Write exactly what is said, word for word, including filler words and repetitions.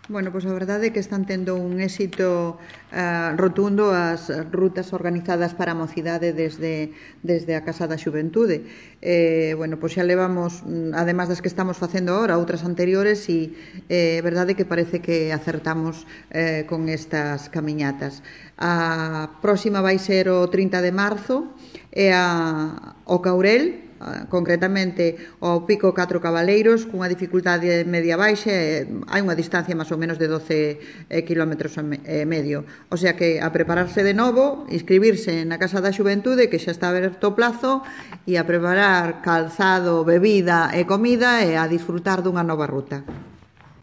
Bueno, pois a verdade é que están tendo un éxito uh, rotundo as rutas organizadas para a mocidade desde, desde a Casa da Xuventude. Eh, bueno, pois xa levamos, además das que estamos facendo agora, outras anteriores, e é eh, verdade que parece que acertamos eh, con estas camiñatas. A próxima vai ser o trinta de marzo, e a, o Caurel, concretamente ao Pico Catro Cabaleiros, cunha dificultade media baixa, e hai unha distancia máis ou menos de doce kilómetros e medio. O sea que a prepararse de novo, inscribirse na Casa da Xuventude, que xa está aberto o plazo, e a preparar calzado, bebida e comida e a disfrutar dunha nova ruta.